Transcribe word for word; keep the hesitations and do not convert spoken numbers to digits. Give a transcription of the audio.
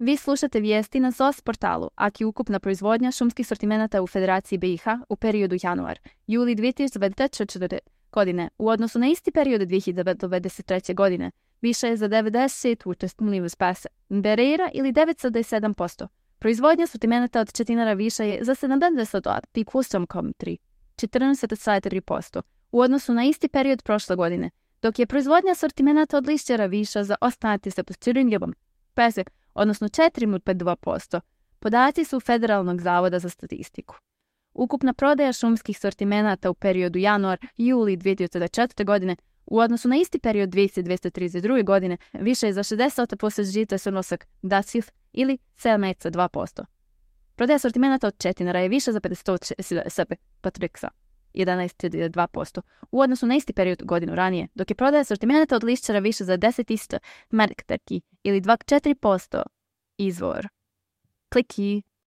Vi slušate vijesti na S O S portalu, aki ukupna proizvodnja šumskih sortimenata u Federaciji B i H u periodu januar-juli dvije tisuće dvadeset četvrte. godine u odnosu na isti period dvije hiljade dvadeset treće. godine više je za devedeset učestvovnih spasa berera ili devet zarez sedam posto. Proizvodnja sortimenata od četinara viša je za sedamdeset osam zarez tri, četrnaest zarez tri posto u odnosu na isti period prošle godine, dok je proizvodnja sortimenata od lišćara viša za ostanak sa postirinjom pese, odnosno četiri zarez dva posto. Podaci su Federalnog zavoda za statistiku. Ukupna prodaja šumskih sortimenata u periodu januar-juli dvije tisuće četvrte. godine u odnosu na isti period dvije hiljade dvjesto trideset druge. godine više je za šezdeset posto žica sunosak daciv ili sedam zarez dva posto. Prodaja sortimenata od četinara je više za pedeset patriksa, jedanaest zarez dva posto u odnosu na isti period godinu ranije, dok je prodaja sortimenata od lišćara više za deset isto marktarki ili dva zarez četiri posto. Izvor. Kliki.